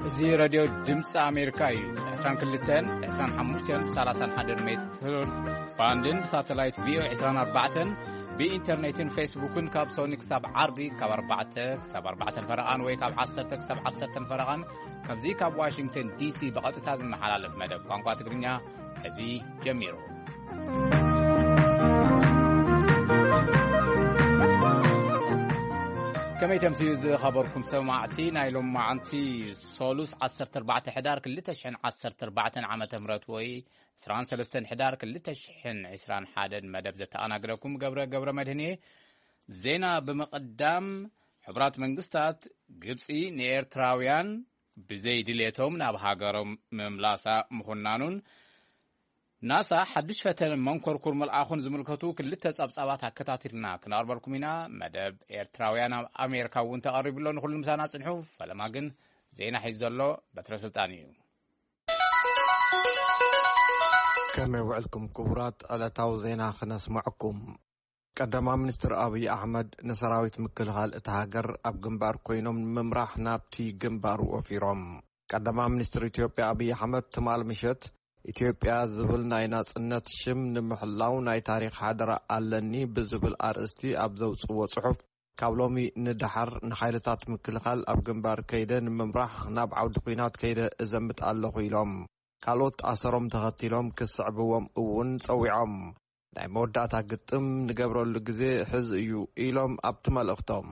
እዚ ሬድዮ ድምፂ ኣሜሪካ እዩ። ዕስራን ክልተን ዕስራን ሓሙሽተን ሰላሳን ሓደን ሜትር ባንድን ብሳተላይት ቪኦኤ ዕስራን ኣርባዕተን ብኢንተርኔትን ፌስቡክን ካብ ሶኒ ክሳብ ዓርቢ ካብ ኣርባዕተ ክሳብ ኣርባዕተን ፈረቓን ወይ ካብ ዓሰርተ ክሳብ ዓሰርተን ፈረቓን፣ ከምዚ ካብ ዋሽንግተን ዲሲ ብቐጥታ ዝመሓላለፍ መደብ ቋንቋ ትግርኛ እዚ ጀሚሩ። ከመይ ተምስዩ ዝኸበርኩም ሰማዕቲ፣ ናይ ሎማዓንቲ ሶሉስ ዓሰርተ ኣርባዕተ ሕዳር ክልተ ሽሕን ዓሰርተ ኣርባዕተን ዓመተ ምህረት ወይ ዕስራን ሰለስተን ሕዳር ክልተ ሽሕን ዕስራን ሓደን መደብ ዘተኣናግደኩም ገብረ ገብረ መድህን እየ። ዜና ብምቕዳም፣ ሕቡራት መንግስታት፣ ግብጺ ንኤርትራውያን ብዘይ ድሌቶም ናብ ሃገሮም ምምላሳ ምኹናኑን፣ ናሳ ሓድሽ ፈተነ መንኮርኩር ምልኣኹን ዝምልከቱ ክልተ ጸብጻባት ኣከታቲልና ክነቕርበልኩም ኢና። መደብ ኤርትራውያን ኣብ ኣሜሪካ እውን ተቐሪቡ ኣሎ። ንኹሉ ምሳና ጽንሑ። ፈለማ ግን ዜና ሒዙ ዘሎ በትረ ስልጣን እዩ። ከመይ ውዕልኩም ክቡራት? ዕለታዊ ዜና ክነስምዐኩም። ቀዳማይ ሚኒስትር ኣብይ ኣሕመድ ንሰራዊት ምክልኻል እታ ሃገር ኣብ ግንባር ኮይኖም ንምምራሕ ናብቲ ግንባር ወፊሮም። ቀዳማይ ሚኒስትር ኢትዮጵያ ኣብይ ኣሕመድ ትማል ምሸት ኢትዮጵያ ዝብል ናይ ናጽነት ሽም ንምሕላው ናይ ታሪኽ ሓደራ ኣለኒ ብዝብል ኣርእስቲ ኣብ ዘውጽዎ ጽሑፍ፣ ካብ ሎሚ ንደሓር ንሓይልታት ምክልኻል ኣብ ግንባር ከይደ ንምምራሕ ናብ ዓውዲ ኲናት ከይደ እዘምት ኣለኹ ኢሎም። ካልኦት ኣሰሮም ተኸቲሎም ክስዕብዎም እውን ጸዊዖም። ናይ መወዳእታ ግጥም ንገብረሉ ግዜ ሕዚ እዩ ኢሎም ኣብቲ መልእኽቶም።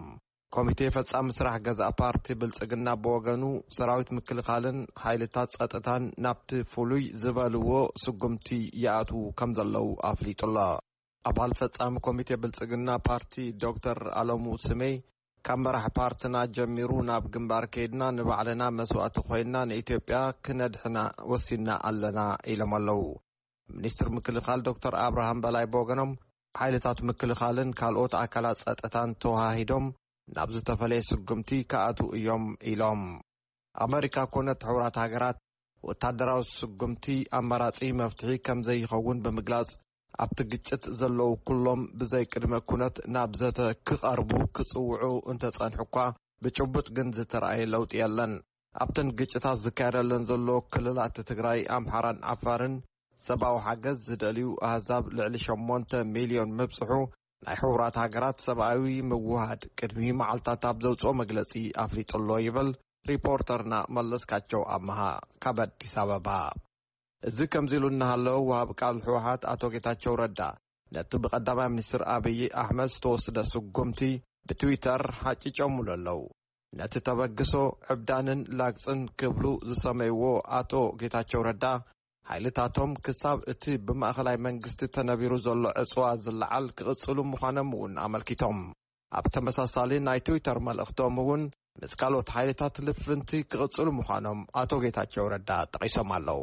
ኮሚቴ ፈጻሚ ስራሕ ገዛእ ፓርቲ ብልጽግና ብወገኑ፣ ሰራዊት ምክልኻልን ሓይልታት ጸጥታን ናብቲ ፍሉይ ዝበልዎ ስጉምቲ ይኣትዉ ከም ዘለዉ ኣፍሊጡ ኣሎ። ኣባል ፈጻሚ ኮሚቴ ብልጽግና ፓርቲ ዶክተር ኣለሙ ስሜይ፣ ካብ መራሕ ፓርትና ጀሚሩ ናብ ግንባር ከይድና ንባዕልና መስዋእቲ ኮይንና ንኢትዮጵያ ክነድሕና ወሲንና ኣለና ኢሎም ኣለዉ። ሚኒስትር ምክልኻል ዶክተር ኣብርሃም በላይ ብወገኖም፣ ሓይልታት ምክልኻልን ካልኦት ኣካላት ጸጥታን ተወሃሂዶም ናብ ዝተፈለየ ስጉምቲ ክኣትዉ እዮም ኢሎም። ኣመሪካ ኮነት ሕቡራት ሃገራት፣ ወታደራዊ ስጉምቲ ኣማራጺ መፍትሒ ከም ዘይኸውን ብምግላጽ፣ ኣብቲ ግጭት ዘለዉ ኩሎም ብዘይ ቅድመ ኩነት ናብ ዘተ ክቐርቡ ክጽውዑ እንተጸንሑ እኳ፣ ብጭቡጥ ግን ዝተራእየ ለውጢ የለን። ኣብተን ግጭታት ዝካየደለን ዘሎ ክልላት ትግራይ፣ ኣምሓራን ዓፋርን ሰብኣዊ ሓገዝ ዝደልዩ ኣህዛብ ልዕሊ ሸሞንተ ሚልዮን ምብጽሑ ናይ ሕቡራት ሃገራት ሰብኣዊ ምውሃድ ቅድሚ መዓልታት ኣብ ዘውጽኦ መግለጺ ኣፍሊጡ ኣሎ ይብል ሪፖርተርና መለስካቸው ኣመሃ ካብ ኣዲስ ኣበባ። እዚ ከምዚ ኢሉ እናሃለወ፣ ወሃብ ቃል ህወሓት ኣቶ ጌታቸው ረዳ ነቲ ብቀዳማይ ሚኒስትር ኣብይ ኣሕመድ ዝተወስደ ስጉምቲ ብትዊተር ሓጭጨሙሉ ኣለዉ። ነቲ ተበግሶ ዕብዳንን ላግጽን ክብሉ ዝሰመይዎ ኣቶ ጌታቸው ረዳ፣ ሓይልታቶም ክሳብ እቲ ብማእኸላይ መንግስቲ ተነቢሩ ዘሎ ዕጽዋ ዝለዓል ክቕጽሉ ምዃኖም እውን ኣመልኪቶም። ኣብ ተመሳሳሊ ናይ ትዊተር መልእኽቶም እውን፣ ምስ ካልኦት ሓይልታት ልፍንቲ ክቕጽሉ ምዃኖም ኣቶ ጌታቸው ረዳ ጠቒሶም ኣለዉ።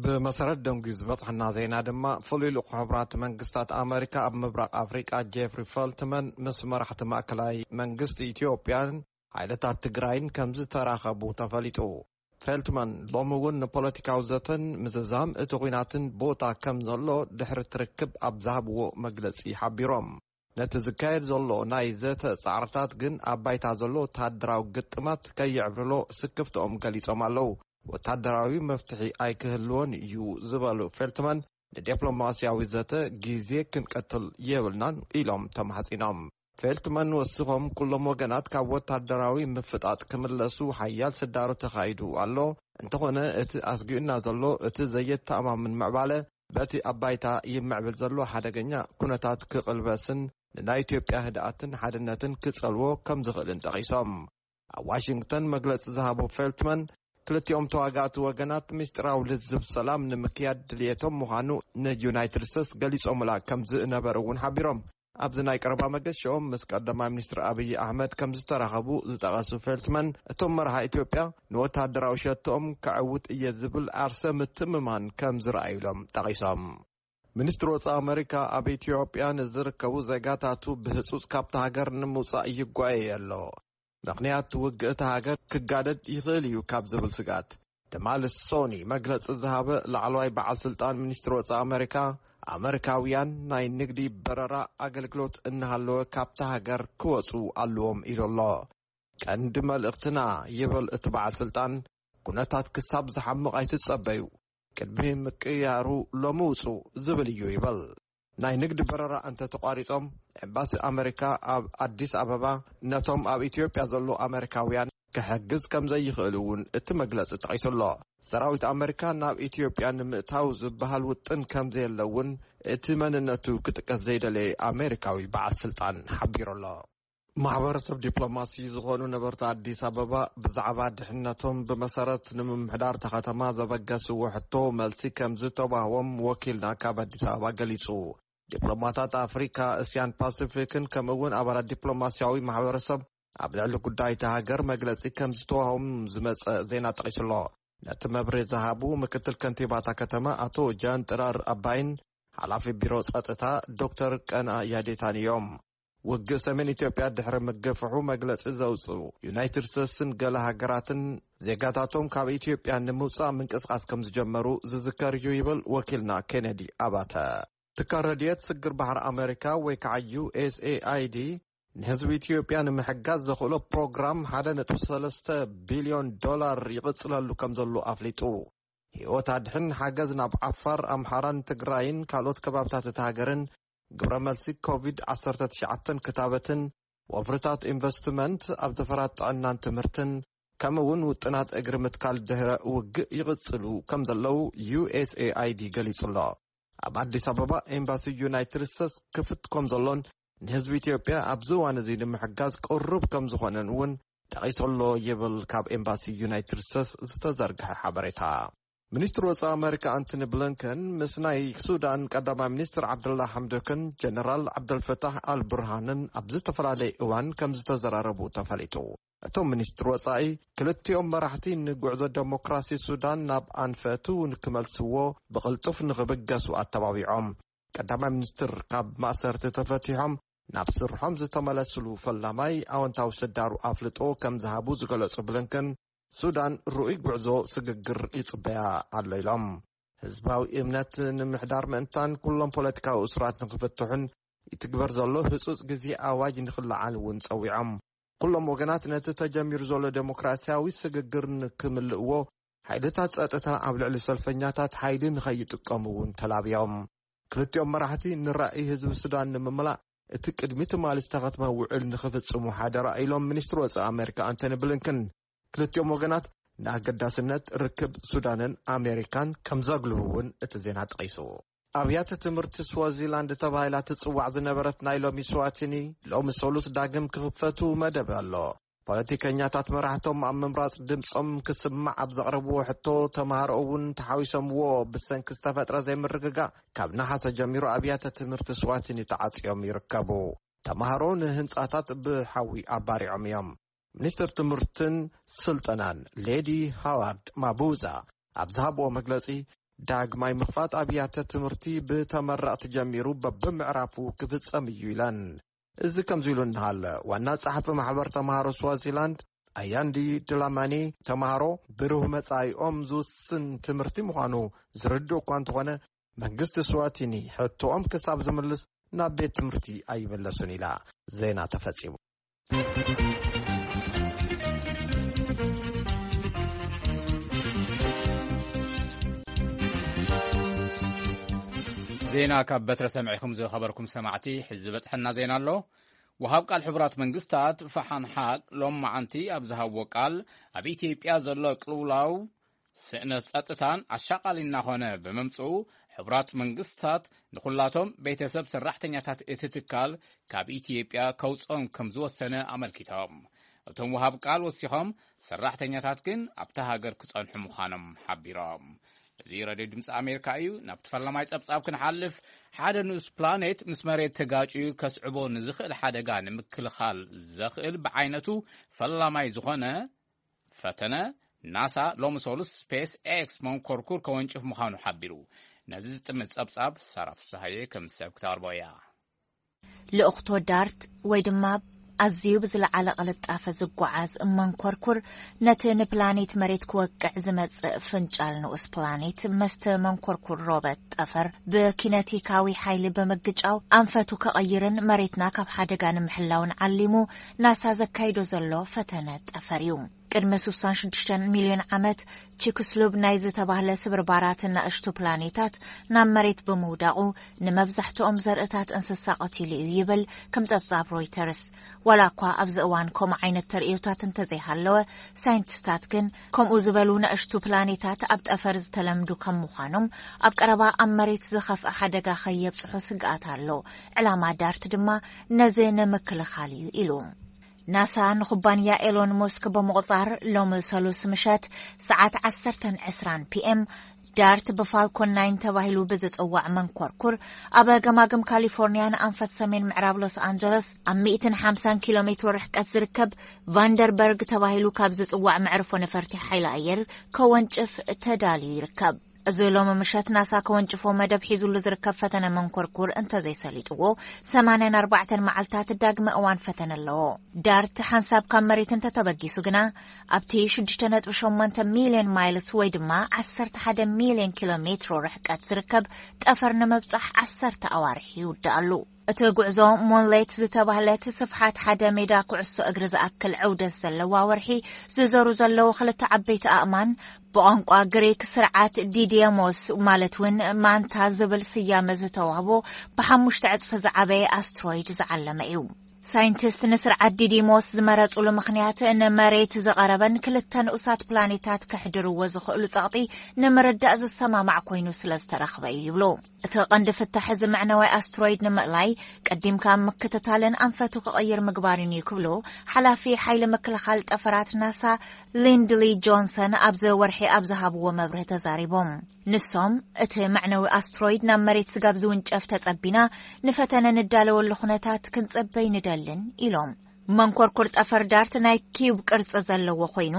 ብመሰረት ደንጉዩ ዝበጽሐና ዜና ድማ፣ ፍሉይ ልኡኽ ሕቡራት መንግስታት ኣመሪካ ኣብ ምብራቕ ኣፍሪቃ ጄፍሪ ፈልትመን ምስ መራሕቲ ማእከላይ መንግስቲ ኢትዮጵያን ሓይልታት ትግራይን ከም ዝተራኸቡ ተፈሊጡ። ፌልትመን ሎሚ እውን ንፖለቲካዊ ዘተን ምዝዛም እቲ ኲናትን ቦታ ከም ዘሎ ድሕሪ ትርክብ ኣብ ዝሃብዎ መግለጺ ሓቢሮም። ነቲ ዝካየድ ዘሎ ናይ ዘተ ጻዕርታት ግን ኣብ ባይታ ዘሎ ወተሃደራዊ ግጥማት ከይዕብልሎ ስክፍትኦም ገሊጾም ኣለዉ። ወተሃደራዊ መፍትሒ ኣይክህልዎን እዩ ዝበሉ ፌልትመን፣ ንዲፕሎማስያዊ ዘተ ግዜ ክንቀትል የብልናን ኢሎም ተማሕጺኖም። ፌልትመን ወሲኾም፣ ኩሎም ወገናት ካብ ወታደራዊ ምፍጣጥ ክምለሱ ሓያል ስዳሮ ተኻይዱ ኣሎ። እንተኾነ እቲ ኣስጊኡና ዘሎ እቲ ዘየተኣማምን ምዕባለ በቲ ኣብ ባይታ ይምዕብል ዘሎ ሓደገኛ ኩነታት ክቕልበስን ንናይ ኢትዮጵያ ህድኣትን ሓድነትን ክጸልዎ ከም ዝኽእልን ጠቒሶም። ኣብ ዋሽንግተን መግለጺ ዝሃቡ ፌልትመን፣ ክልቲኦም ተዋጋእቲ ወገናት ምስጢራዊ ልዝብ ሰላም ንምክያድ ድልየቶም ምዃኑ ንዩናይትድ ስቴትስ ገሊጾምላ ከም ዝነበሩ እውን ሓቢሮም። ኣብዚ ናይ ቀረባ መገሻኦም ምስ ቀዳማይ ሚኒስትር ኣብይ ኣሕመድ ከም ዝተራኸቡ ዝጠቐሱ ፌልትመን፣ እቶም መራሒ ኢትዮጵያ ንወታደራዊ ሸቶኦም ከዕውት እየ ዝብል ዓርሰ ምትምማን ከም ዝረኣዩሎም ጠቒሶም። ሚኒስትሪ ወጻኢ ኣመሪካ ኣብ ኢትዮጵያ ንዝርከቡ ዜጋታቱ ብህጹጽ ካብታ ሃገር ንምውጻእ ይጓየ ኣሎ። ምኽንያት ውግእ እታ ሃገር ክጋደድ ይኽእል እዩ ካብ ዝብል ስግኣት። ትማሊ ሶኒ መግለጺ ዝሃበ ላዕለዋይ በዓል ስልጣን ሚኒስትሪ ወጻኢ ኣመሪካ፣ ኣመሪካውያን ናይ ንግዲ በረራ ኣገልግሎት እናሃለወ ካብታ ሃገር ክወጹ ኣለዎም ኢሉ ኣሎ። ቀንዲ መልእኽትና ይብል እቲ በዓል ስልጣን፣ ኩነታት ክሳብ ዝሓምቕ ኣይትጸበዩ፣ ቅድሚ ምቅያሩ ሎሚ ውጹ ዝብል እዩ ይብል። ናይ ንግዲ በረራ እንተተቋሪጾም፣ ኤምባሲ ኣመሪካ ኣብ ኣዲስ ኣበባ ነቶም ኣብ ኢትዮጵያ ዘለዉ ኣመሪካውያን ክሕግዝ ከም ዘይኽእል እውን እቲ መግለጺ ጠቒሱ ኣሎ። ሰራዊት ኣመሪካ ናብ ኢትዮጵያ ንምእታው ዝበሃል ውጥን ከም ዘየለ እውን እቲ መንነቱ ክጥቀስ ዘይደለየ ኣመሪካዊ በዓል ስልጣን ሓቢሩ ኣሎ። ማሕበረሰብ ዲፕሎማሲ ዝኾኑ ነበርቲ ኣዲስ ኣበባ ብዛዕባ ድሕነቶም ብመሰረት ንምምሕዳር እታ ከተማ ዘበገስዎ ሕቶ መልሲ ከም ዝተዋህቦም ወኪልና ካብ ኣዲስ ኣበባ ገሊጹ። ዲፕሎማታት ኣፍሪካ፣ እስያን ፓሲፊክን ከምኡ እውን ኣባላት ዲፕሎማሲያዊ ማሕበረሰብ ኣብ ልዕሊ ጉዳይ እታ ሃገር መግለጺ ከም ዝተዋህቦም ዝመጸ ዜና ጠቒሱ ኣሎ። ነቲ መብርሂ ዝሃቡ ምክትል ከንቲባታ ከተማ ኣቶ ጃን ጥራር ኣባይን ሓላፊ ቢሮ ጸጥታ ዶክተር ቀና ያዴታን እዮም። ውግእ ሰሜን ኢትዮጵያ ድሕሪ ምግፍሑ መግለጺ ዘውጽኡ ዩናይትድ ስቴትስን ገለ ሃገራትን ዜጋታቶም ካብ ኢትዮጵያ ንምውጻእ ምንቅስቓስ ከም ዝጀመሩ ዝዝከር እዩ ይብል ወኪልና ኬነዲ ኣባተ። ትካል ረድኤት ስግር ባሕሪ ኣመሪካ ወይ ከዓ ዩ ኤስ ኤ ኣይ ዲ ንህዝቢ ኢትዮጵያ ንምሕጋዝ ዘኽእሎ ፕሮግራም ሓደ ነጥቢ ሰለስተ ቢልዮን ዶላር ይቕጽለሉ ከም ዘሎ ኣፍሊጡ። ህይወት ኣድሕን ሓገዝ ናብ ዓፋር፣ ኣምሓራን ትግራይን ካልኦት ከባብታት እታ ሃገርን ግብረ መልሲ ኮቪድ ዓሰርተ ትሽዓተ ክታበትን ወፍርታት ኢንቨስትመንት ኣብ ዘፈራት ጥዕናን ትምህርትን ከምኡ እውን ውጥናት እግሪ ምትካል ድሕረ ውግእ ይቕጽሉ ከም ዘለዉ ዩ ኤስ ኤ ኣይ ዲ ገሊጹ ኣሎ። ኣብ ኣዲስ ኣበባ ኤምባሲ ዩናይትድ ስቴትስ ክፍት ከም ዘሎን ንህዝቢ ኢትዮጵያ ኣብዚ እዋን እዚ ንምሕጋዝ ቅሩብ ከም ዝኾነን እውን ጠቒሱ ኣሎ ይብል ካብ ኤምባሲ ዩናይትድ ስቴትስ ዝተዘርግሐ ሓበሬታ። ሚኒስትር ወጻኢ ኣመሪካ ኣንቶኒ ብሊንከን ምስ ናይ ሱዳን ቀዳማይ ሚኒስትር ዓብደላ ሓምዶክን ጀነራል ዓብደልፈታሕ ኣልቡርሃንን ኣብ ዝተፈላለየ እዋን ከም ዝተዘራረቡ ተፈሊጡ። እቶም ሚኒስትር ወጻኢ ክልቲኦም መራሕቲ ንጉዕዞ ዴሞክራሲ ሱዳን ናብ ኣንፈቱ ንክመልስዎ ብቕልጡፍ ንኽብገሱ ኣተባቢዖም። ቀዳማይ ሚኒስትር ካብ ማእሰርቲ ተፈቲሖም ናብ ስርሖም ዝተመለስሉ ፈላማይ ኣወንታዊ ስዳሩ ኣፍልጦ ከም ዝሃቡ ዝገለጹ ብሊንከን፣ ሱዳን ርኡይ ጉዕዞ ስግግር ይጽበያ ኣሎ ኢሎም። ህዝባዊ እምነት ንምሕዳር ምእንታን ኩሎም ፖለቲካዊ እሱራት ንክፍትሑን ይትግበር ዘሎ ህጹጽ ግዜ ኣዋጅ ንክለዓል እውን ጸዊዖም። ኩሎም ወገናት ነቲ ተጀሚሩ ዘሎ ዴሞክራሲያዊ ስግግር ንክምልእዎ ሓይልታት ጸጥታ ኣብ ልዕሊ ሰልፈኛታት ሓይሊ ንኸይጥቀሙ እውን ተላብዮም። ክልቲኦም መራሕቲ ንራእይ ህዝቢ ሱዳን ንምምላእ እቲ ቅድሚ ትማሊ ዝተኸትመ ውዕል ንኽፍጽሙ ሓደራ ኢሎም ሚኒስትሪ ወጻኢ ኣሜሪካ ኣንቶኒ ብሊንከን። ክልቲኦም ወገናት ንኣገዳስነት ርክብ ሱዳንን ኣሜሪካን ከም ዘጉልሁ እውን እቲ ዜና ጠቒሱ። ኣብያተ ትምህርቲ ስዋዚላንድ ተባሂላ ትጽዋዕ ዝነበረት ናይ ሎሚ ስዋቲኒ ሎሚ ሰሉስ ዳግም ክኽፈቱ መደብ ኣሎ። ፖለቲከኛታት መራሕቶም ኣብ ምምራጽ ድምጾም ክስማዕ ኣብ ዘቕረብዎ ሕቶ፣ ተማሃሮ እውን ተሓዊሶምዎ ብሰንኪ ዝተፈጥረ ዘይምርግጋእ ካብ ነሓሰ ጀሚሩ ኣብያተ ትምህርቲ ስዋቲኒ ተዓጽዮም ይርከቡ። ተማሃሮ ንህንጻታት ብሓዊ ኣባሪዖም እዮም። ሚኒስትር ትምህርትን ስልጠናን ሌዲ ሃዋርድ ማቡዛ ኣብ ዝሃብዎ መግለጺ፣ ዳግማይ ምኽፋት ኣብያተ ትምህርቲ ብተመረቕቲ ጀሚሩ በብምዕራፉ ክፍጸም እዩ ኢለን። እዚ ከምዚ ኢሉ እናሃለ፣ ዋና ጸሓፊ ማሕበር ተማሃሮ ስዋዚላንድ ኣያንዲ ድላማኒ፣ ተማሃሮ ብሩህ መጻኢኦም ዝውስን ትምህርቲ ምዃኑ ዝርድእ እኳ እንተኾነ፣ መንግስቲ ስዋቲኒ ሕቶኦም ክሳብ ዝምልስ ናብ ቤት ትምህርቲ ኣይምለሱን ኢላ። ዜና ተፈጺሙ። ዜና ካብ በትረ ሰምዒኹም ዝኸበርኩም ሰማዕቲ፣ ሕዚ ዝበጽሐና ዜና ኣሎ። ወሃብ ቃል ሕቡራት መንግስታት ፈሓን ሓቅ ሎም መዓንቲ ኣብ ዝሃብዎ ቃል፣ ኣብ ኢትዮጵያ ዘሎ ቅልውላው ስእነት ጸጥታን ኣሻቓሊ እናኾነ ብምምጽኡ፣ ሕቡራት መንግስታት ንኹላቶም ቤተሰብ ሰራሕተኛታት እቲ ትካል ካብ ኢትዮጵያ ከውጽኦም ከም ዝወሰነ ኣመልኪቶም። እቶም ወሃብ ቃል ወሲኾም፣ ሰራሕተኛታት ግን ኣብታ ሃገር ክጸንሑ ምዃኖም ሓቢሮም። እዚ ሬድዮ ድምፂ ኣሜሪካ እዩ። ናብቲ ፈላማይ ጸብጻብ ክንሓልፍ፣ ሓደ ንኡስ ፕላኔት ምስ መሬት ተጋጭዩ ከስዕቦ ንዝኽእል ሓደጋ ንምክልኻል ዘኽእል ብዓይነቱ ፈላማይ ዝኾነ ፈተነ፣ ናሳ ሎሚ ሰሉስ ስፔስ ኤክስ መንኮርኩር ከወንጭፍ ምዃኑ ሓቢሩ። ነዚ ዝጥምት ጸብጻብ ሳራ ፍስሃየ ከም ሰብ ክተቕርቦ እያ። ልእኽቶ ዳርት ወይ ድማ ኣዝዩ ብዝለዓለ ቅልጣፈ ዝጓዓዝ መንኮርኩር፣ ነቲ ንፕላኔት መሬት ክወቅዕ ዝመጽእ ፍንጫል ንኡስ ፕላኔት መስተ መንኮርኩር ሮበት ጠፈር ብኪነቲካዊ ሓይሊ ብምግጫው ኣንፈቱ ከቐይርን መሬትና ካብ ሓደጋ ንምሕላውን ዓሊሙ ናሳ ዘካይዶ ዘሎ ፈተነ ጠፈር እዩ። ቅድሚ ስሳን ሽዱሽተን ሚልዮን ዓመት፣ ቺክስሉብ ናይ ዝተባህለ ስብርባራት ናእሽቱ ፕላኔታት ናብ መሬት ብምውዳቑ፣ ንመብዛሕትኦም ዘርእታት እንስሳ ቀቲሉ እዩ ይብል ከም ጸብጻብ ሮይተርስ። ዋላ እኳ ኣብዚ እዋን ከምኡ ዓይነት ተርእዮታት እንተዘይሃለወ፣ ሳይንቲስታት ግን ከምኡ ዝበሉ ናእሽቱ ፕላኔታት ኣብ ጠፈር ዝተለምዱ ከም ምዃኖም፣ ኣብ ቀረባ ኣብ መሬት ዝኸፍአ ሓደጋ ከየብጽሑ ስግኣት ኣሎ። ዕላማ ዳርት ድማ ነዚ ንምክልኻል እዩ ኢሉ። ናሳ ንኩባንያ ኤሎን ሞስክ ብምቑጻር፣ ሎሚ ሰሉስ ምሸት ሰዓት ዓሰርተ ዕስራን ፒ ኤም፣ ዳርት ብፋልኮን ናይን ተባሂሉ ብዝጽዋዕ መንኮርኩር፣ ኣብ ገማግም ካሊፎርኒያ ንኣንፈት ሰሜን ምዕራብ ሎስ ኣንጀለስ ኣብ ሚእትን ሓምሳን ኪሎ ሜትሮ ርሕቀት ዝርከብ ቫንደርበርግ ተባሂሉ ካብ ዝጽዋዕ መዕርፎ ነፈርቲ ሓይሊ ኣየር ከወንጭፍ ተዳልዩ ይርከብ። እዚ ሎሚ ምሸት ናሳ ከወንጭፎ መደብ ሒዙሉ ዝርከብ ፈተነ መንኮርኩር እንተዘይሰሊጥዎ፣ ሰማንያን ኣርባዕተን መዓልታት ዳግመ እዋን ፈተነ ኣለዎ። ዳርት ሓንሳብ ካብ መሬት እንተተበጊሱ ግና፣ ኣብቲ ሽዱሽተ ነጥቢ ሸሞንተ ሚልዮን ማይልስ ወይ ድማ ዓሰርተ ሓደ ሚልዮን ኪሎ ሜትሮ ርሕቀት ዝርከብ ጠፈር ንምብጻሕ ዓሰርተ ኣዋርሕ ይውድኣሉ። እቲ ጉዕዞ ሞንሌት ዝተባህለት ስፍሓት ሓደ ሜዳ ኩዕሶ እግሪ ዝኣክል ዕውደት ዘለዋ ወርሒ ዝዘሩ ዘለዉ ክልተ ዓበይቲ ኣእማን፣ ብቋንቋ ግሪክ ስርዓት ዲዲየሞስ፣ ማለት እውን ማንታ ዝብል ስያመ ዝተዋህቦ፣ ብሓሙሽተ ዕጽፊ ዝዓበየ ኣስትሮይድ ዝዓለመ እዩ። ሳይንቲስት ንስርዓት ዲዲሞስ ዝመረጹሉ ምኽንያት፣ ንመሬት ዝቐረበን ክልተ ንኡሳት ፕላኔታት ክሕድርዎ ዝኽእሉ ጸቕጢ ንምርዳእ ዝሰማማዕ ኮይኑ ስለ ዝተረኽበ እዩ ይብሉ። እቲ ቀንዲ ፍታሕ እዚ መዕነዊ ኣስትሮይድ ንምእላይ፣ ቀዲምካ ምክትታልን ኣንፈቱ ክቕይር ምግባርን እዩ ክብሉ፣ ሓላፊ ሓይሊ ምክልኻል ጠፈራት ናሳ ሊንድሊ ጆንሰን ኣብዚ ወርሒ ኣብ ዝሃብዎ መብርሂ ተዛሪቦም። ንሶም፣ እቲ መዕነዊ ኣስትሮይድ ናብ መሬት ስጋብ ዝውንጨፍ ተጸቢና፣ ንፈተነ ንዳለወሉ ኩነታት ክንጽበይ ንደልን ኢሎም። መንኮርኩር ጠፈር ዳርት ናይ ኪዩብ ቅርጺ ዘለዎ ኮይኑ፣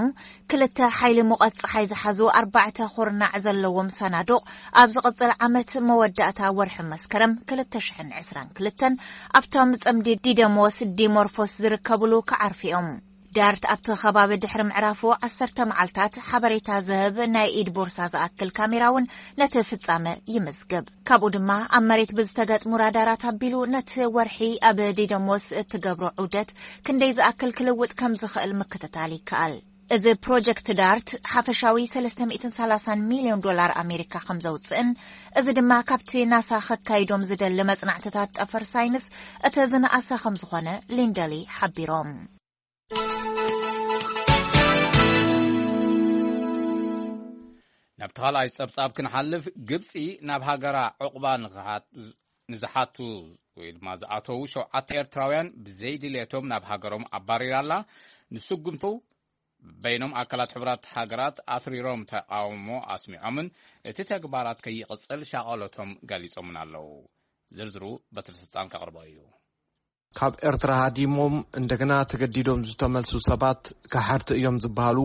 ክልተ ሓይሊ ሙቐት ጸሓይ ዝሓዙ ኣርባዕተ ኩርናዕ ዘለዎም ሰናዱቕ፣ ኣብ ዝቕጽል ዓመት መወዳእታ ወርሒ መስከረም ክልተ ሽሕን ዕስራን ክልተን፣ ኣብቶም ጽምዲ ዲደሞስ ዲሞርፎስ ዝርከብሉ ክዓርፉ እዮም። ዳርት ኣብቲ ከባቢ ድሕሪ ምዕራፉ ዓሰርተ መዓልታት ሓበሬታ ዝህብ ናይ ኢድ ቦርሳ ዝኣክል ካሜራ እውን ነቲ ፍጻመ ይምዝግብ። ካብኡ ድማ ኣብ መሬት ብዝተገጥሙ ራዳራት ኣቢሉ ነቲ ወርሒ ኣብ ዲደሞስ እትገብሮ ዑደት ክንደይ ዝኣክል ክልውጥ ከም ዝኽእል ምክትታል ይከኣል። እዚ ፕሮጀክት ዳርት ሓፈሻዊ ሰለስተ ሚእትን ሰላሳን ሚልዮን ዶላር ኣሜሪካ ከም ዘውጽእን፣ እዚ ድማ ካብቲ ናሳ ከካይዶም ዝደሊ መጽናዕትታት ጠፈር ሳይንስ እቲ ዝነኣሰ ከም ዝኾነ ሊንደሊ ሓቢሮም። ናብቲ ካልኣይ ጸብጻብ ክንሓልፍ፣ ግብጺ ናብ ሃገራ ዕቑባ ንዝሓቱ ወይ ድማ ዝኣተዉ ሸውዓተ ኤርትራውያን ብዘይድልየቶም ናብ ሃገሮም ኣባሪራ ኣላ። ንስጉምቱ በይኖም ኣካላት ሕቡራት ሃገራት ኣትሪሮም ተቓውሞ ኣስሚዖምን እቲ ተግባራት ከይቕጽል ሻቐሎቶም ገሊጾምን ኣለዉ። ዝርዝሩ በትሪ ስልጣን ከቕርቦ እዩ። ካብ ኤርትራ ሃዲሞም እንደገና ተገዲዶም ዝተመልሱ ሰባት ካሓድቲ እዮም ዝበሃሉ፣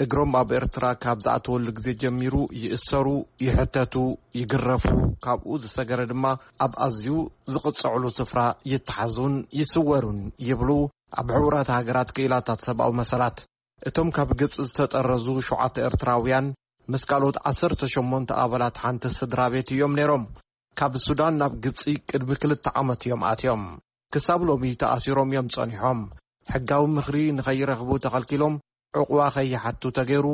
እግሮም ኣብ ኤርትራ ካብ ዝኣተወሉ ግዜ ጀሚሩ ይእሰሩ፣ ይሕተቱ፣ ይግረፉ፣ ካብኡ ዝሰገረ ድማ ኣብ ኣዝዩ ዝቕጽዕሉ ስፍራ ይተሓዙን ይስወሩን ይብሉ ኣብ ሕቡራት ሃገራት ክኢላታት ሰብኣዊ መሰላት። እቶም ካብ ግብጺ ዝተጠረዙ ሸውዓተ ኤርትራውያን ምስ ካልኦት ዓሰርተ ሸሞንተ ኣባላት ሓንቲ ስድራ ቤት እዮም ነይሮም። ካብ ሱዳን ናብ ግብጺ ቅድሚ ክልተ ዓመት እዮም ኣትዮም። ክሳብ ሎሚ ተኣሲሮም እዮም ጸኒሖም። ሕጋዊ ምኽሪ ንኸይረኽቡ ተኸልኪሎም፣ ዕቑባ ከይሓቱ ተገይሩ፣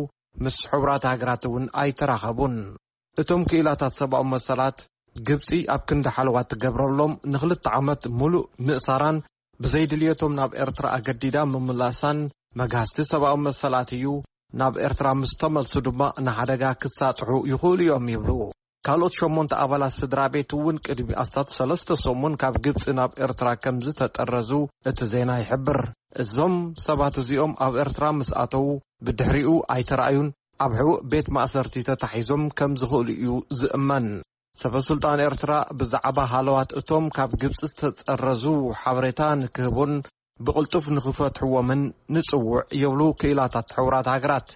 ምስ ሕቡራት ሃገራት እውን ኣይተራኸቡን። እቶም ክኢላታት ሰብኣዊ መሰላት፣ ግብጺ ኣብ ክንዲ ሓለዋ ትገብረሎም ንኽልተ ዓመት ሙሉእ ምእሳራን ብዘይድልየቶም ናብ ኤርትራ ኣገዲዳ ምምላሳን መግሃስቲ ሰብኣዊ መሰላት እዩ። ናብ ኤርትራ ምስ ተመልሱ ድማ ንሓደጋ ክሳጥሑ ይኽእሉ እዮም ይብሉ። ካልኦት ሸሞንተ ኣባላት ስድራ ቤት እውን ቅድሚ ኣስታት ሰለስተ ሰሙን ካብ ግብጺ ናብ ኤርትራ ከም ዝተጠረዙ እቲ ዜና ይሕብር። እዞም ሰባት እዚኦም ኣብ ኤርትራ ምስ ኣተዉ ብድሕሪኡ ኣይተራእዩን፣ ኣብ ሕቡእ ቤት ማእሰርቲ ተታሒዞም ከም ዝኽእሉ እዩ ዝእመን። ሰበ ስልጣን ኤርትራ ብዛዕባ ሃለዋት እቶም ካብ ግብጺ ዝተጠረዙ ሓበሬታ ንክህቡን ብቕልጡፍ ንኽፈትሕዎምን ንጽውዕ ይብሉ ክኢላታት ሕቡራት ሃገራት።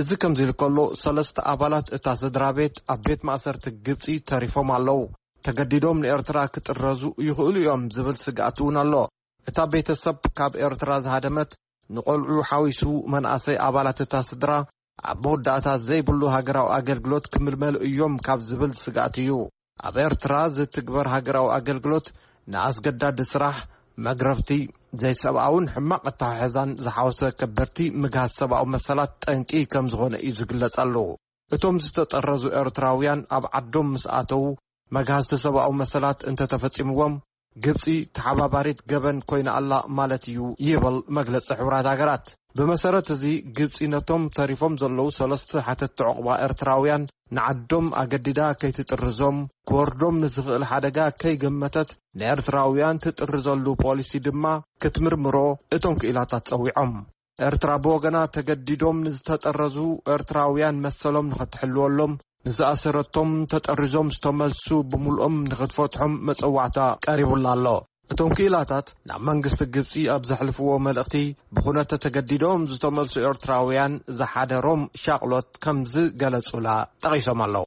እዚ ከምዚ ኢሉ ከሎ፣ ሰለስተ ኣባላት እታ ስድራ ቤት ኣብ ቤት ማእሰርቲ ግብጺ ተሪፎም ኣለዉ። ተገዲዶም ንኤርትራ ክጥረዙ ይኽእሉ እዮም ዝብል ስግኣት እውን ኣሎ። እታ ቤተሰብ ካብ ኤርትራ ዝሃደመት፣ ንቖልዑ ሓዊሱ መናእሰይ ኣባላት እታ ስድራ ኣብ መወዳእታ ዘይብሉ ሃገራዊ ኣገልግሎት ክምልመሉ እዮም ካብ ዝብል ስግኣት እዩ። ኣብ ኤርትራ ዝትግበር ሃገራዊ ኣገልግሎት ንኣስገዳዲ ስራሕ፣ መግረፍቲ፣ ዘይሰብኣውን ሕማቕ ኣተሓሕዛን ዝሓወሰ ከበድቲ ምግሃስ ሰብኣዊ መሰላት ጠንቂ ከም ዝኾነ እዩ ዝግለጸሉ። እቶም ዝተጠረዙ ኤርትራውያን ኣብ ዓዶም ምስ ኣተዉ፣ መግሃስቲ ሰብኣዊ መሰላት እንተተፈጺምዎም፣ ግብጺ ተሓባባሪት ገበን ኮይና ኣላ ማለት እዩ ይብል መግለጺ ሕቡራት ሃገራት። ብመሰረት እዚ፣ ግብጺ ነቶም ተሪፎም ዘለዉ ሰለስተ ሓተትቲ ዕቑባ ኤርትራውያን ንዓዶም ኣገዲዳ ከይትጥርዞም፣ ክወርዶም ንዝኽእል ሓደጋ ከይገመተት ንኤርትራውያን ትጥርዘሉ ፖሊሲ ድማ ክትምርምሮ እቶም ክኢላታት ጸዊዖም። ኤርትራ ብወገና፣ ተገዲዶም ንዝተጠረዙ ኤርትራውያን መሰሎም ንኸትሕልወሎም፣ ንዝኣሰረቶም ተጠሪዞም ዝተመልሱ ብምልኦም ንኽትፈትሖም መጸዋዕታ ቀሪቡላ ኣሎ። እቶም ክኢላታት ናብ መንግስቲ ግብጺ ኣብ ዘሕልፍዎ መልእኽቲ፣ ብኹነተ ተገዲዶም ዝተመልሱ ኤርትራውያን ዝሓደሮም ሻቕሎት ከም ዝገለጹላ ጠቒሶም ኣለዉ።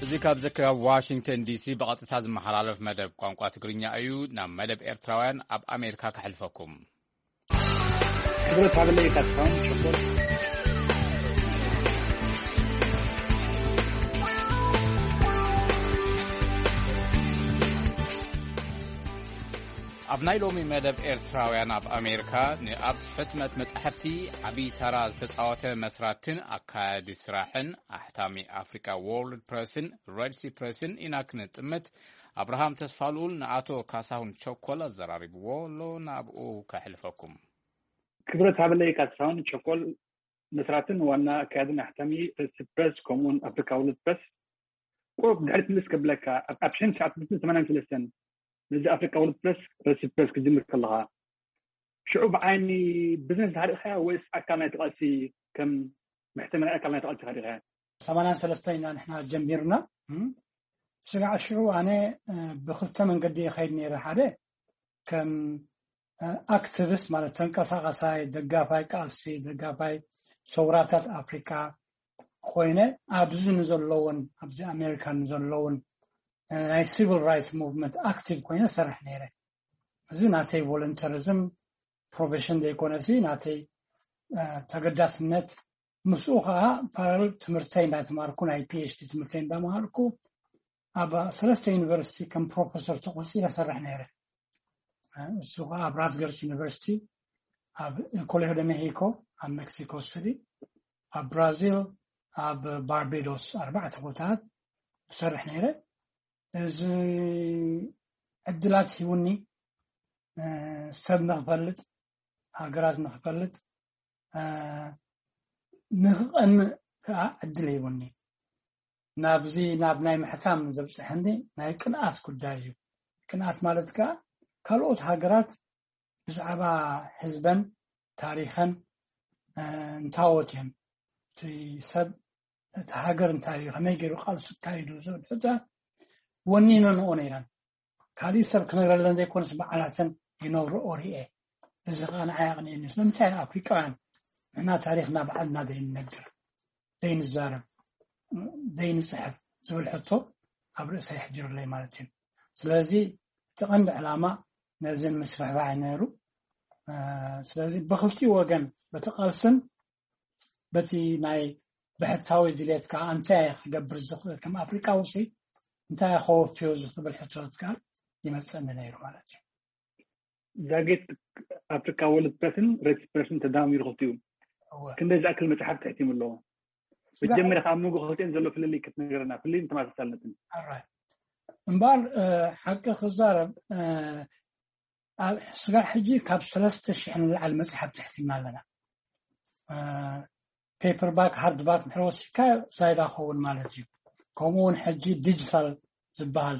እዚ ካብ ዝከብ ዋሽንግተን ዲሲ ብቐጥታ ዝመሓላለፍ መደብ ቋንቋ ትግርኛ እዩ። ናብ መደብ ኤርትራውያን ኣብ ኣሜሪካ ከሕልፈኩም። ክብረት ሃበለይ ካትካውን ሸኮር። ኣብ ናይ ሎሚ መደብ ኤርትራውያን ኣብ ኣሜሪካ ንኣብ ሕትመት መጻሕፍቲ ዓብዪ ተራ ዝተጻወተ መስራትን ኣካያዲ ስራሕን ኣሕታሚ ኣፍሪካ ዎርልድ ፕረስን ሬድሲ ፕረስን ኢና ክንጥምት። ኣብርሃም ተስፋልኡል ንኣቶ ካሳሁን ቸኮል ኣዘራሪብዎ ኣሎ፣ ናብኡ ከሕልፈኩም። ክብረት ሃበለይ ካሳሁን ቸኮል፣ መስራትን ዋና ኣካያድን ኣሕታሚ ሬድሲ ፕረስ ከምኡውን ኣፍሪካ ዎርልድ ፕረስ። ቁሩብ ድሕሪት ምልስ ከብለካ፣ ኣብ ኣብ ሽሕን ትሽዓተ ሚእትን ሰማንያን ሰለስተን ነዚ ኣፍሪካ ዎርልድ ፕረስ፣ ሬድሲ ፕረስ ክትጅምር ከለኻ፣ ሽዑ ብዓይኒ ቢዝነስ ዲኻ ርኢኻያ ወይስ ኣካል ናይቲ ቃልሲ፣ ከም መሕተሚ ናይ ኣካል ናይቲ ቃልሲ ኢኻ ርኢኻያ? ሰማንያን ሰለስተን ኢና ንሕና ጀሚርና። እም፣ ስጋዕ ሽዑ ኣነ፣ እ፣ ብኽልተ መንገዲ ይኸይድ ነይረ። ሓደ ከም፣ እ፣ ኣክቲቪስት፣ ማለት ተንቀሳቓሳይ፣ ደጋፋይ ቃልሲ፣ ደጋፋይ ሰውራታት ኣፍሪካ ኮይነ፣ ኣብዚ ንዘለውን፣ ኣብዚ ኣሜሪካ ንዘለውን፣ እ፣ ናይ ሲቪል ራይትስ ሙቭመንት ኣክቲቭ ኮይነ ሰርሕ ነይረ። እዚ ናተይ ቮለንተሪዝም ፕሮፌሽን ዘይኮነሲ፣ ናተይ፣ እ፣ ተገዳስነት። ምስኡ ከዓ ፓራሌል ትምህርተይ እንዳተማርኩ፣ ናይ ፒ ኤች ዲ ትምህርተይ እንዳመሃርኩ፣ ኣብ ሰለስተ ዩኒቨርሲቲ ከም ፕሮፌሰር ተቆፂረ ሰርሕ ነይረ። እ፣ እሱ ከዓ ኣብ ራትገርስ ዩኒቨርሲቲ፣ ኣብ ኮሌጆ ደ ሜሂኮ፣ ኣብ ሜክሲኮ ሲቲ፣ ኣብ ብራዚል፣ ኣብ ባርቤዶስ፣ ኣርባዕተ ቦታታት ሰርሕ ነይረ። እዚ ዕድላት ሂቡኒ፣ እ፣ ሰብ ንኽፈልጥ፣ ሃገራት ንኽፈልጥ፣ እ፣ ንኽቐንእ ከዓ ዕድል ሂቡኒ። ናብዚ፣ ናብ ናይ ምሕታም ዘብፅሐኒ ናይ ቅንኣት ጉዳይ እዩ። ቅንኣት ማለት ከዓ ካልኦት ሃገራት ብዛዕባ ህዝበን ታሪኸን፣ እ፣ እንታዎት እዮም፣ እቲ ሰብ፣ እቲ ሃገር እንታይ እዩ፣ ከመይ ገይሩ ቃልሱ ኣካይዱ ዝብል ሕቶታት ወኒነንኦ ነይረን። ካሊእ ሰብ ክነግረለን ዘይኮነስ ባዕላተን ይነግርኦ ርኤ። እዚ ከዓ ንዓይ ኣቕኒእኒ። ስለምንታይ ኢና ኣፍሪቃውያን ንሕና ታሪኽና ባዕልና ዘይንነግር፣ ዘይንዛረብ፣ ዘይንፅሕፍ ዝብል ሕቶ ኣብ ርእሰይ ኣሕዲሩለይ ማለት እዩ። ስለዚ እቲ ቀንዲ ዕላማ ነዚ ንምስፍሕፋሕ እዩ ነይሩ። እ፣ ስለዚ ብኽልቲኡ ወገን፣ በቲ ቃልስን በቲ ናይ ብሕታዊ ድሌትካ እንታይ ክገብር ዝኽእል፣ ከም ኣፍሪቃዊ ሲ እንታይ ከወፍዮ ዝኽብል ሕቶታት ከዓ ይመፀኒ ነይሩ ማለት እዩ። ዛጌት ኣፍሪካ ወርልድ ፕረስን ሬድሲ ፕረስን ተዳሚሩ ክልቲኡ እወ። ክንደይ ዝኣክል መፅሓፍቲ ሕቲሙ ኣለዎ? ስጋ- መጀመርያ ካብ መንጎ ክልቲአን ዘሎ ፍልልይ ክትነግረና፣ ፍልልይን ተመሳሳልነትን። ኣራይ። እምበኣር፣ እ፣ ሓቂ ክዛረብ፣ እ፣ ኣብ ስጋዕ ሕጂ ካብ ሰለስተ ሽሕ ንላዕሊ መፅሓፍቲ ሕቲምና ኣለና። እ፣ ፔፐር ባክ፣ ሃርድ ባክ እንድሕር ወሲድካ ዛይዳ ክኸውን ማለት እዩ። ከምኡ እውን ሕጂ ዲጂታል ዝበሃል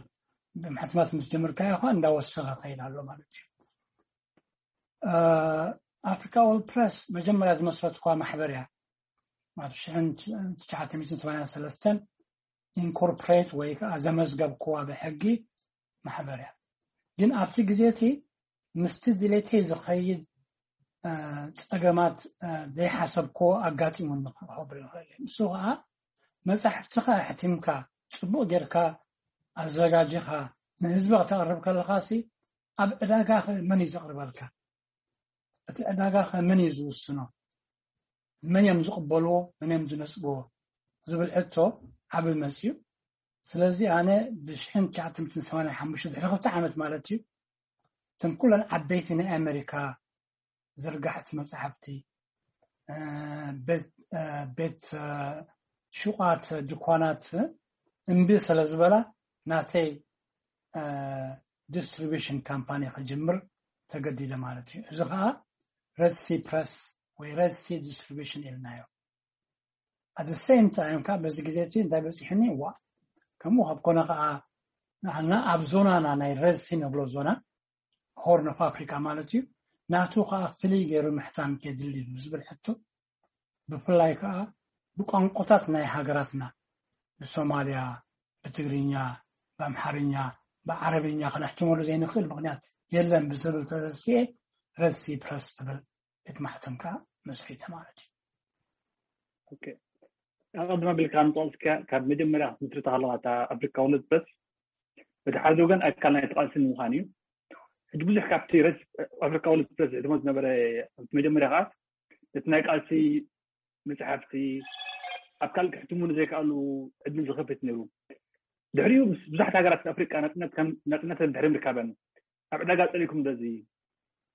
ብሕትመት ምስ ጀመርካዮ ከዓ እንዳወሰኸ ይኸይድ ኣሎ ማለት እዩ። እ፣ ኣፍሪካ ኦል ፕረስ መጀመርያ ዝመስረትኳ ማሕበር እያ። ኣብ ሽሕን ትሽዓተ ሚእትን ሰማንያን ሰለስተን ኢንኮርፖሬት ወይ ከዓ ዘመዝገብክዋ ብሕጊ ማሕበር እያ። ግን ኣብቲ ግዜ እቲ ምስቲ ድሌተይ ዝኸይድ፣ እ፣ ጸገማት፣ እ፣ ዘይሓሰብክዎ ኣጋጢሙኒ ክብል ይኽእል እየ። ንሱ ከዓ መጻሕፍትኻ ኣሕቲምካ፣ ጽቡቕ ጌርካ ኣዘጋጂኻ፣ ንህዝቢ ከተቕርብ ከለኻሲ፣ ኣብ ዕዳጋ ኸ መን እዩ ዘቕርበልካ? እቲ ዕዳጋ ኸ መን እዩ ዝውስኖ? መን እዮም ዝቕበልዎ? መን እዮም ዝነጽግዎ? ዝብል ሕቶ ዓብል መፅዩ። ስለዚ ኣነ ብሽሕን ትሽዓተ ሚእትን ሰማንያን ሓሙሽተ ድሕሪ ክልተ ዓመት ማለት እዩ፣ እተን ኩለን ዓበይቲ ናይ ኣሜሪካ ዝርጋሕቲ መፅሓፍቲ፣ ቤት ሹቓት ድኳናት እምቢ ስለ ዝበላ፣ ናተይ ዲስትሪቢሽን ካምፓኒ ክጅምር ተገዲደ ማለት እዩ። እዚ ከዓ ረድሲ ፕረስ ወይ ረድሲ ዲስትሪቢሽን ኢልናዮ። ኣት ሴም ታይም ከዓ በዚ ግዜ እቲ እንታይ በፂሕኒ፣ ዋ፣ ከምኡ ካብ ኮነ ከዓ ንዓና ኣብ ዞናና ናይ ረድሲ ንብሎ ዞና ሆርን ኦፍ ኣፍሪካ ማለት እዩ፣ ናቱ ከዓ ፍልይ ገይሩ ምሕታም የድሊ እዩ ዝብል ሕቶ፣ ብፍላይ ከዓ ብቋንቋታት ናይ ሃገራትና፣ ብሶማልያ፣ ብትግርኛ፣ ብኣምሓርኛ፣ ብዓረብኛ ክነሕትመሉ ዘይንኽእል ምክንያት የለን ብዝብል ተረሲኤ ረድሲ ፕረስ ትብል ቤት ማሕተም ከዓ መስሪተ ማለት እዩ። ኣቐድማ ቢልካ ንጠቕስካ ካብ መጀመርያ ክትምስርታ ከለካ ኣፍሪካ ወለድ ፕረስ በቲ ሓደ ወገን ኣካል ናይ ተቃልሲ ንምዃን እዩ። ሕጂ ብዙሕ ካብቲ ረስ ኣፍሪካ ወለድ ፕረስ ዝሕትሞ ዝነበረ ኣብቲ መጀመርያ ከዓ እቲ ናይ ቃልሲ መፅሓፍቲ ኣብ ካልእ ክሕትሙ ንዘይከኣሉ ዕድል ዝኸፍት ነይሩ። ድሕሪኡ ምስ ብዙሓት ሃገራት ኣፍሪቃ ናፅነት ከም ናፅነተን ድሕሪ ምርካበን ኣብ ዕዳጋ ፀሊእኩም ደዚ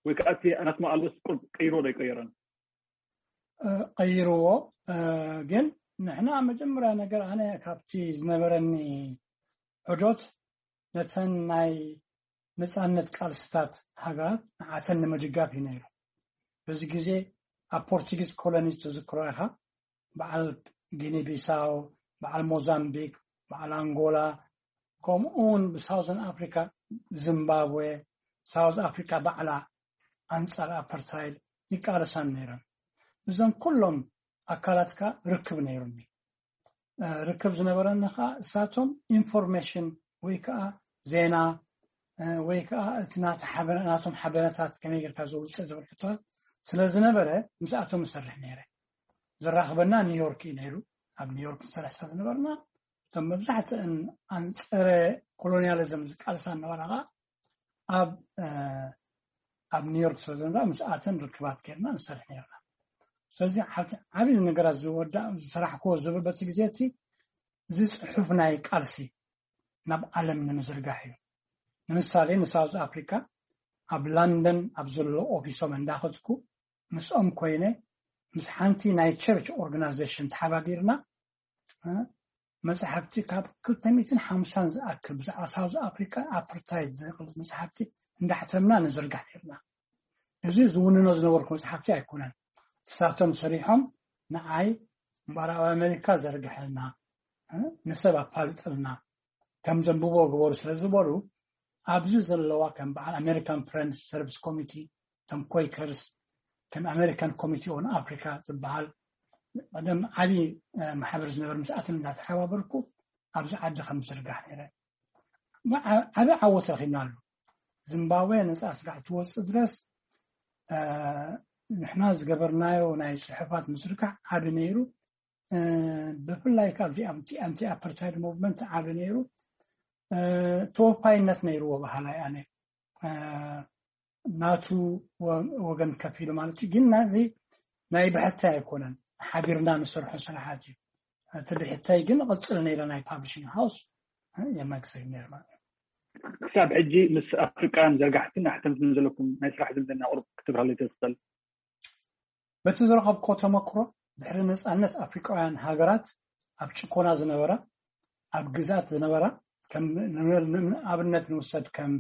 ወይ ከዓ እቲ ኣናትማ ኣልቦስ ቁርብ ቀይሮ ዶ ይቀየረን? ቀይርዎ። ግን ንሕና መጀመርያ ነገር ኣነ ካብቲ ዝነበረኒ ዑዶት ነተን ናይ ነፃነት ቃልስታት ሃገራት ንዓተን ንምድጋፍ እዩ ነይሩ። በዚ ግዜ ኣብ ፖርቱጊዝ ኮሎኒ ትዝክሮ ኢኻ፣ በዓል ጊኒ ቢሳው፣ በዓል ሞዛምቢክ፣ በዓል ኣንጎላ፣ ከምኡ እውን ብሳውዘን ኣፍሪካ ዚምባብዌ፣ ሳውዝ ኣፍሪካ ባዕላ ኣንፃር ኣፓርታይድ ይቃለሳን ነይረን። እዞም ኩሎም ኣካላትካ ርክብ ነይሩኒ። ርክብ ዝነበረኒ ከዓ እሳቶም ኢንፎርሜሽን ወይ ከዓ ዜና ወይ ከዓ እቲ ናቶም ሓበረታት ከመይ ጌርካ ዘውፅእ ዝብል ሕቶታት ስለ ዝነበረ ምስኣቶም እሰርሕ ነይረ። ዘራኽበና ኒውዮርክ እዩ ነይሩ። ኣብ ኒውዮርክ ንሰርሕ ስለ ዝነበርና እቶም መብዛሕትእን ኣንፀረ ኮሎኒያሊዝም ዝቃልሳ ነበራ ከዓ ኣብ ኣብ ኒውዮርክ ስለ ዝነበራ ምስኣተን ርክባት ጌርና ንሰርሕ ነርና። ስለዚ ዓብዪ ነገራት ዝወዳእ ዝሰራሕክዎ ዝብል በቲ ግዜ እቲ እዚ ፅሑፍ ናይ ቃልሲ ናብ ዓለም ንምዝርጋሕ እዩ። ንምሳሌ ንሳውዝ ኣፍሪካ ኣብ ላንደን ኣብ ዘሎ ኦፊሶም እንዳኸድኩ ምስኦም ኮይነ ምስ ሓንቲ ናይ ቸርች ኦርጋናይዜሽን ተሓባቢርና መፅሓፍቲ ካብ ክልተ ሚእትን ሓምሳን ዝኣክል ብዛዕባ ሳውዝ ኣፍሪካ ኣፓርታይድ ዝብል መፅሓፍቲ እንዳሕተምና ንዝርጋሕ ነርና። እዚ ዝውንኖ ዝነበርኩ መፅሓፍቲ ኣይኮነን። እሳቶም ሰሪሖም ንዓይ ምዕራብ ኣሜሪካ ዘርግሐልና፣ ንሰብ ኣፋልጠልና፣ ከም ዘንብቦ ግበሩ ስለ ዝበሉ ኣብዚ ዘለዋ ከም በዓል ኣሜሪካን ፍሬንድስ ሰርቪስ ኮሚቲ፣ ከም ኮይከርስ፣ ከም ኣሜሪካን ኮሚቲ ኦን ኣፍሪካ ዝበሃል ቀደም ዓብዪ ማሕበር ዝነበር ምስኣትን እንዳተሓባበርኩ ኣብዚ ዓዲ ከም ዝርጋሕ ነይረ። ዓቢ ዓወት ረኺብናሉ። ዚምባብዌ ነፃ ስራሕ ትወፅእ ድረስ ንሕና ዝገበርናዮ ናይ ፅሑፋት ምዝርጋሕ ዓቢ ነይሩ። ብፍላይ ካብዚ ኣንቲ ኣፓርታይድ ሙቭመንት ዓቢ ነይሩ። ተወፋይነት ነይርዎ በሃላይ ኣነ ናቱ ወገን ከፊሉ ማለት እዩ። ግን ናዚ ናይ ብሕታይ ኣይኮነን፣ ሓቢርና ንሰርሖ ስራሓት እዩ። እቲ ብሕታይ ግን ቕፅል ነይረ ናይ ፓብሊሽንግ ሃውስ የመግሰግ ነይር ማለት እዩ። ክሳብ ሕጂ ምስ ኣፍሪቃውያን ዘርጋሕትን ኣሕተምትን ዘለኩም ናይ ስራሕ ዝምድና ቁሩብ ክትብራለይ ትኽእል? በቲ ዝረኸብኮ ተመክሮ ድሕሪ ነፃነት ኣፍሪቃውያን ሃገራት ኣብ ጭኮና ዝነበራ ኣብ ግዛት ዝነበራ ኣብነት ንውሰድ ከም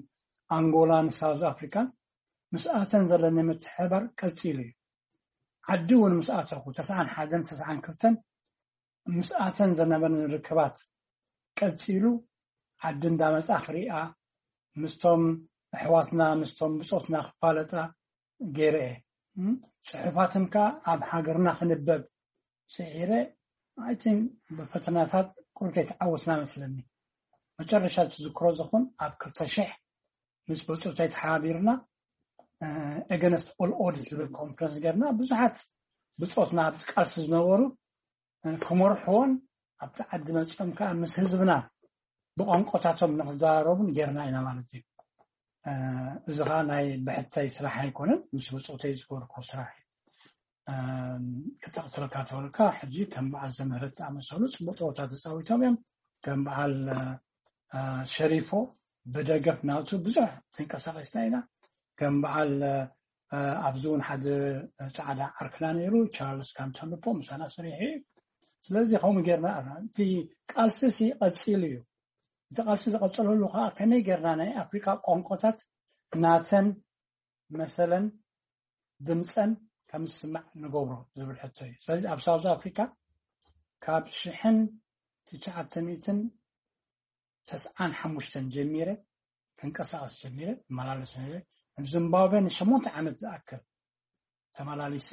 ኣንጎላን ሳውዝ ኣፍሪካን ምስኣተን ዘለኒ ምትሕባር ቀፂሉ እዩ። ዓዲ እውን ምስኣተኹ ተስዓን ሓደን ተስዓን ክልተን ምስኣተን ዘነበኒ ርክባት ቀፂሉ ዓዲ እንዳመፃ ክሪኣ ምስቶም ኣሕዋትና ምስቶም ብፆትና ክፋለጣ ገይረ እየ። ፅሑፋትን ከዓ ኣብ ሃገርና ክንበብ ስዒረ ኣይትን ብፈተናታት ቁርብ ከይተዓወትና መስለኒ። መጨረሻ ትዝክሮ ዝኹን ኣብ ክልተ ሽሕ ምስ ብፆተይ ተሓባቢርና ኤገነስት ኦል ኦድስ ዝብል ኮንፈረንስ ገርና ብዙሓት ብፆትና ኣብ ቃልሲ ዝነበሩ ክመርሕዎን ኣብቲ ዓዲ መፅኦም ከዓ ምስ ህዝብና ብቋንቋታቶም ንክዘራረቡን ጌርና ኢና ማለት እዩ። እዚ ከዓ ናይ ብሕተይ ስራሕ ኣይኮነን፣ ምስ ብፆተይ ዝገበርኮ ስራሕ እዩ። ክጠቕስልካ ተበልካ፣ ሕጂ ከም በዓል ዘምህረት ዝኣመሰሉ ፅቡቅ ፀወታ ተፃዊቶም እዮም። ከም በዓል ሸሪፎ ብደገፍ ናቱ ብዙሕ ተንቀሳቀስና ኢና። ከም በዓል ኣብዚ እውን ሓደ ፃዕዳ ዓርክና ነይሩ፣ ቻርልስ ካንተልፖ ምሳና ሰሪሑ እዩ። ስለዚ ከምኡ ጌርና፣ እቲ ቃልሲ ሲ ቀፂሉ እዩ። እቲ ቃልሲ ዝቐፀለሉ ከዓ ከመይ ጌርና ናይ ኣፍሪካ ቋንቋታት ናተን መሰለን ድምፀን ከም ዝስማዕ ንገብሮ ዝብል ሕቶ እዩ። ስለዚ ኣብ ሳውዝ ኣፍሪካ ካብ ሽሕን ትሽዓተ ሚእትን ተስዓን ሓሙሽተን ጀሚረ ክንቀሳቀስ ጀሚረ፣ እመላለስ ነይረ። ኣብ ዚምባብዌ ንሸሞንተ ዓመት ዝኣክል ተመላሊሰ፣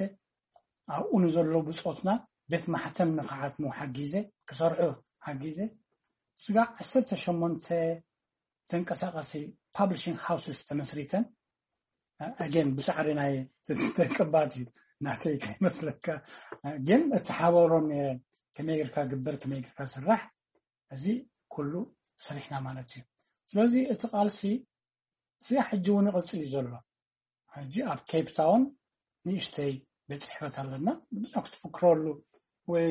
ኣብኡ ንዘለዉ ብፆትና ቤት ማሕተም ንክሓትሙ ሓጊዘ፣ ክሰርሑ ሓጊዘ። ስጋዕ ዓሰርተ ሸሞንተ ተንቀሳቀሲ ፓብሊሽንግ ሃውስስ ተመስሪተን። ኣገን ብሳዕሪ ናይ ደቂ ባት እዩ፣ ናተይ ከይመስለካ። ግን እተሓባብሮም ነይረ፣ ከመይ ጌርካ ግበር፣ ከመይ ጌርካ ስራሕ፣ እዚ ኩሉ ሰሪሕና ማለት እዩ። ስለዚ እቲ ቃልሲ ስጋዕ ሕጂ እውን ይቕፅል እዩ ዘሎ። ሕጂ ኣብ ኬፕ ታውን ንእሽተይ ቤት ፅሕፈት ኣለና። ብዙሕ ክትፍክረሉ ወይ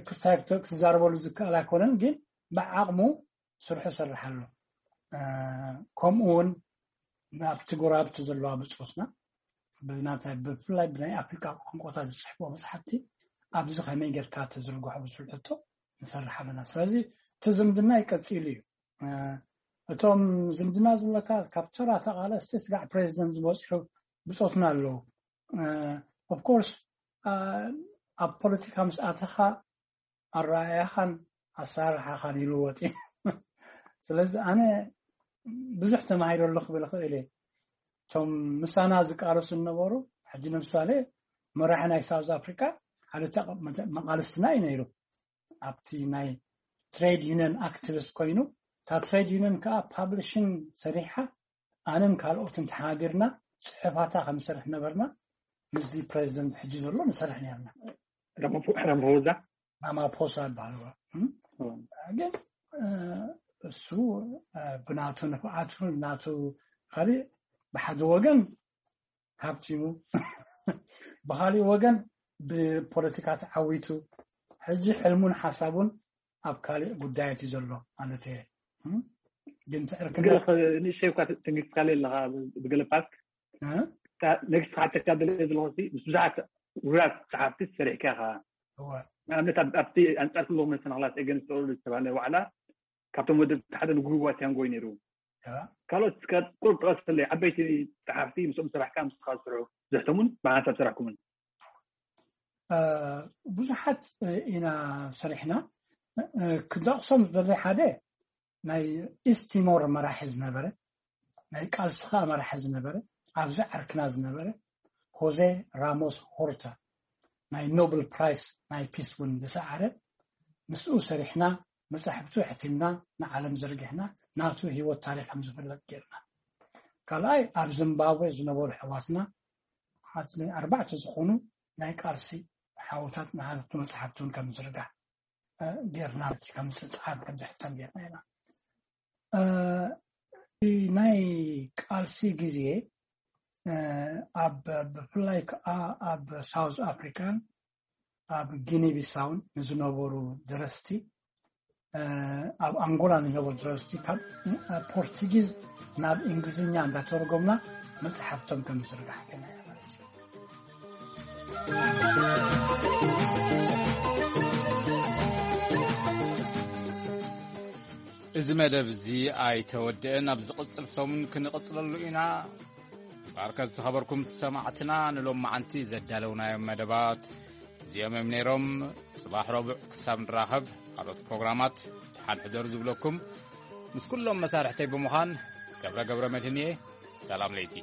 ክስታይ ክትዛረበሉ ዝከኣል ኣይኮነን፣ ግን ብዓቕሙ ስርሑ ይሰርሕ ኣሎ። ከምኡ እውን ኣብቲ ጎረባብቲ ዘለዋ ብፆትና ብናታይ ብፍላይ ብናይ ኣፍሪካ ቋንቋታት ዝፅሕፍዎ መፅሓፍቲ ኣብዚ ከመይ ጌርካ ተዝርግሖ ብዝብል ሕቶ ንሰርሕ ኣለና። ስለዚ እቲ ዝምድና ይቀፂሉ እዩ። እቶም ዝምድና ዝብለካ ካብ ተራ ተቓለስቲ ስጋዕ ፕሬዚደንት ዝበፅሑ ብፆትና ኣለዉ። ኦፍኮርስ ኣብ ፖለቲካ ምስ ኣተኻ ኣረኣእያኻን ኣሰራርሓኻን ይልወጥ እዩ። ስለዚ ኣነ ብዙሕ ተማሂረ ኣሎ ክብል እኽእል እየ። እቶም ምሳና ዝቃለሱ ዝነበሩ፣ ሕጂ ንምሳሌ መራሒ ናይ ሳውዝ ኣፍሪካ ሓደ መቃልስትና እዩ ነይሩ። ኣብቲ ናይ ትሬድ ዩኒየን ኣክቲቪስት ኮይኑ፣ እታ ትሬድ ዩኒየን ከዓ ፓብሊሽን ሰሪሓ ኣነን ካልኦትን ተሓቢርና ፅሑፋታ ከምሰርሕ ነበርና። ምስዚ ፕሬዚደንት ሕጂ ዘሎ ንሰርሕ ነርና። ረምፎዛ ራማፖሳ ይበሃል። ግን እሱ ብናቱ ንፍዓቱ ናቱ ካሊእ ብሓደ ወገን ሃብቲሙ ብካሊእ ወገን ብፖለቲካ ተዓዊቱ ሕጂ ሕልሙን ሓሳቡን ኣብ ካሊእ ጉዳያት እዩ ዘሎ ማለት እየ። ግን ትዕርክነት ንእሽተይ እኳ ተንጊስካለ ኣለካ ብገለ ፓርት ነግስካ ተካደለ ዘለኹ ምስ ብዙሓት ውራት ጸሓፍቲ ሰሪሕካ ኢኻ። ንኣብነት ኣብቲ ኣንጻር ክልኹም መሰናኽላት ኤገንስት ኦል ዝተባህለ ዋዕላ ካብቶም ወደብቲ ሓደ ንጉህዋ ቲያንጎ እዩ ነይሩ። ካልኦት እስከ ቁሩብ ጥቀስለይ፣ ዓበይቲ ጸሓፍቲ ምስኦም ሰራሕካ ምስኻ ዝሰርሑ ዝሕተሙን ብሓንሳብ ሰራሕኩምን? ብዙሓት ኢና ሰሪሕና። ክጠቕሶም ዝደሊ ሓደ ናይ ኢስት ቲሞር መራሒ ዝነበረ፣ ናይ ቃልሲ ከዓ መራሒ ዝነበረ፣ ኣብዚ ዓርክና ዝነበረ ሆዜ ራሞስ ሆርታ ናይ ኖብል ፕራይስ ናይ ፒስ እውን ዝሰዓረ፣ ምስኡ ሰሪሕና፣ መጻሕፍቱ ኣሕቲምና፣ ንዓለም ዘርጊሕና፣ ናቱ ህይወት ታሪኽ ከም ዝፍለጥ ጌርና። ካልኣይ ኣብ ዚምባብዌ ዝነበሩ ኣሕዋትና ኣርባዕተ ዝኾኑ ናይ ቃልሲ ሓውታት ንሓቱ መጽሓፍቲ እውን ከም ዝርጋሕ ጌርና፣ ከም ዝጸሓፍ ከም ዝሕተም ጌርና ኢና። ናይ ቃልሲ ግዜ ኣብ ብፍላይ ከዓ ኣብ ሳውዝ ኣፍሪካን ኣብ ጊኒ ቢሳውን ንዝነበሩ ደረስቲ፣ ኣብ ኣንጎላ ንነበሩ ደረስቲ ካብ ፖርቱጊዝ ናብ እንግሊዝኛ እንዳተረጎምና መፅሓፍቶም ከም ዝርጋሕ ገና ማለት እዩ። እዚ መደብ እዚ ኣይተወደአን። ኣብ ዝቕጽል ሰሙን ክንቕጽለሉ ኢና። ባርከት ዝኸበርኩም ሰማዕትና፣ ንሎም መዓንቲ ዘዳለውናዮም መደባት እዚኦም እዮም ነይሮም። ጽባሕ ረቡዕ ክሳብ ንራኸብ፣ ካልኦት ፕሮግራማት ደሓን ሕደሩ ዝብለኩም ምስ ኩሎም መሳርሕተይ ብምዃን ገብረ ገብረ መድህን እየ። ሰላም ለይቲ።